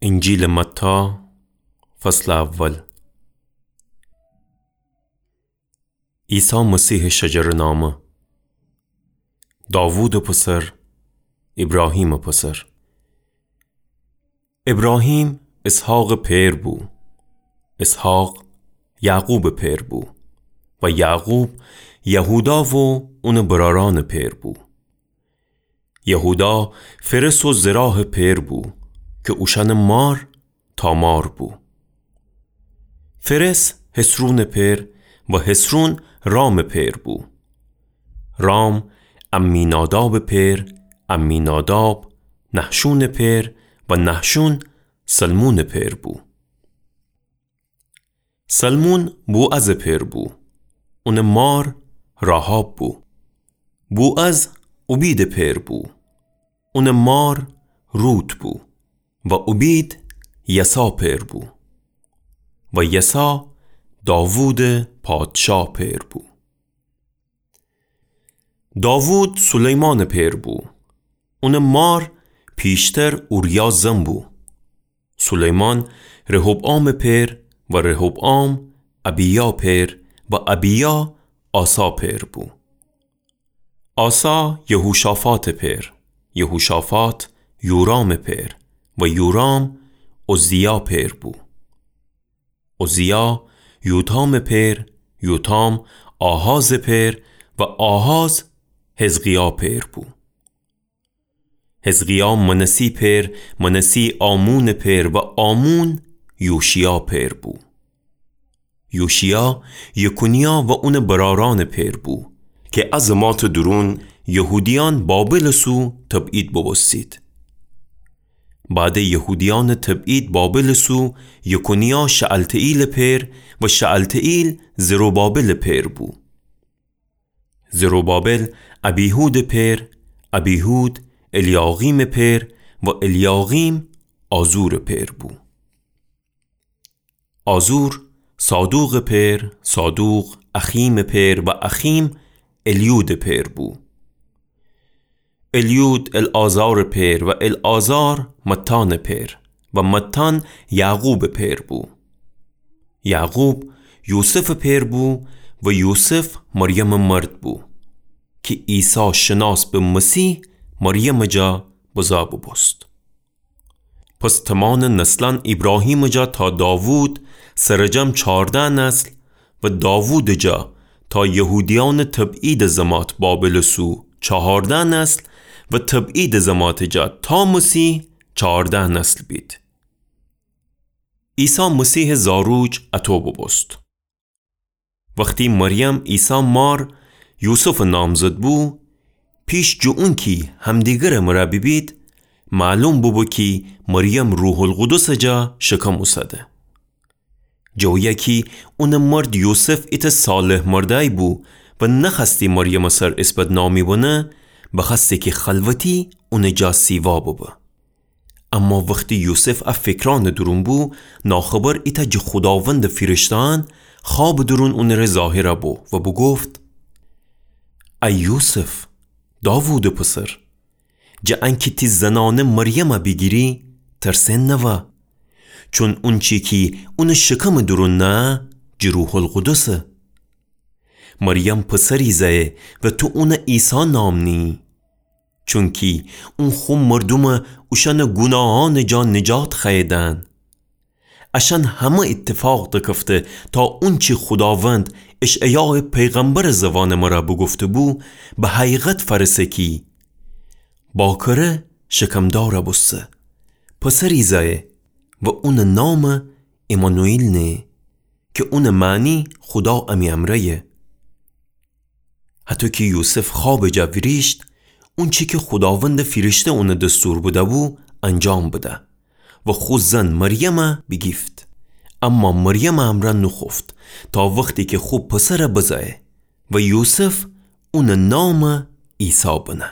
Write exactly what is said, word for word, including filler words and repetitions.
انجیلٚ متی، فصلٚ اول. عیسی مسیحٚ شجره‌نامه. داوودٚ پسر، ایبراهیمٚ پسر. ایبراهیم اسحاقٚ پئر بو، اسحاق یعقوبٚ پئر بو و یعقوب یهودا و اونٚ برأرأنٚ پئر بو. یهودا فرس و زراحٚ پئر بو کی اوشأنٚ مار تامار بو. فرس حصرونٚ پئر و حصرون رامٚ پئر بو. رام عمینادابٚ پئر، عمیناداب نحشونٚ پئر و نحشون سلمونٚ پئر بو. سلمون بوعزٚ پئر بو، اونٚ مار راحاب بو. بوعز اوبیدٚ پئر بو، اونٚ مار روت بو و اوبید یسا پئر بو و یسا داوودٚ پادشا پئر بو. داوود سلیمانٚ پئر بو، اونٚ مار پیشتر اوریا زن بو. سلیمان رحبعامٚ پئر و رحبعام ابیا پئر و ابیا آسا پئر بو. آسا یهوشافاطٚ پئر، یهوشافاط یورامٚ پئر و یورام عزیا پئر بو. عزیا یوتامٚ پئر، یوتام آحازٚ پئر و آحاز حزقیا پئر بو. حزقیا منسی پئر، منسی آمونٚ پئر و آمون یوشیا پئر بو. یوشیا یکنیا و اونٚ برأرأنٚ پئر بو کی ا زماتٚ دورون یهودیأن بابلٚ سو تبعید بوبوستید. بعدٚ یهودیأنٚ تبعید بابلٚ سو یکنیا شعلتییلٚ پئر و شعلتییل زروبابلٚ پئر بو. زروبابل ابیهودٚ پئر، ابیهود الیاقیمٚ پئر و الیاقیم آزورٚ پئر بو. آزور صادوقٚ پئر، صادوق اخیمٚ پئر و اخیم الیودٚ پئر بو. الیود العازارٚ پئر و العازار متانٚ پئر و متان یعقوبٚ پئر بو. یعقوب یوسفٚ پئر بو و یوسف مریمٚ مرد بو کی عیسی شناس به مسیح مریمٚ جا بزا بوبوست. پس تمانٚ نسلأن ایبراهیمٚ جا تا داوود سرجم چارده نسل و داوودٚ جا تا یهودیأنٚ تبعیدٚ زمات بابلٚ سو چهارده نسل و تبعیدٚ زماتٚ جا تا مسیح چهارده نسل بید. عیسی مسیحٚ زاروج اطو بوبوست. وختی مریم عیسی مار یوسفٚ نامزد بو، پیش جٚه اونکی همدیگرٚ مرأ بیبید، معلوم بوبو کی مریم روح‌القدسٚ جا شکم اوسده. جٚه اویه کی اونٚ مرد یوسف ایتأ صالح مردأی بو و نخوأستی مریمٚ سر ایس بدنامی بنه، بخوأستی کی خلوتی اونٚ جا سیوا ببه. اما وختی یوسف ا فکرأنٚ دورون بو، ناخبر ایتأ جٚه خوداوندٚ فیرشته‌أن خوابٚ دورون اونٚره ظاهر بو و بوگفت: ای یوسف، داوودٚ پسر، جٚه انکی تی زنأنه مریم بیگیری، ترسئن نوا، چون اونچی کی اونٚ شکمٚ دورون نهه، جٚه روح‌القدسه. مریم پسری زأیه و تو اون عیسی نام نییی. چونکی اون خو مردوم اوشأنٚ گوناهأنٚ جا نجات خوأیه دهن. اشأن همه ایتفاق دکفته تا اونچی خوداوند اشعیایٚ پیغمبرٚ زوانٚ مرأ بوگفته‌بو، به حقیقت فأرسه کی باکره شکمدار بوسته، پسری زأیه و اونٚ نام عمانوئیل نه، کی اونٚ معنی خودا امی امرأیه. هطو کی یوسف خوابٚ جا ویریشت، اونچی کی خوداوندٚ فیرشته اونٚ دستور بده‌بو، انجام بده و خو زن مریم بیگیفت. اما مریمٚ امرأ نوخوفت تا وختی کی خو پسر بزأیه و یوسف اونٚ نام عیسی بنه.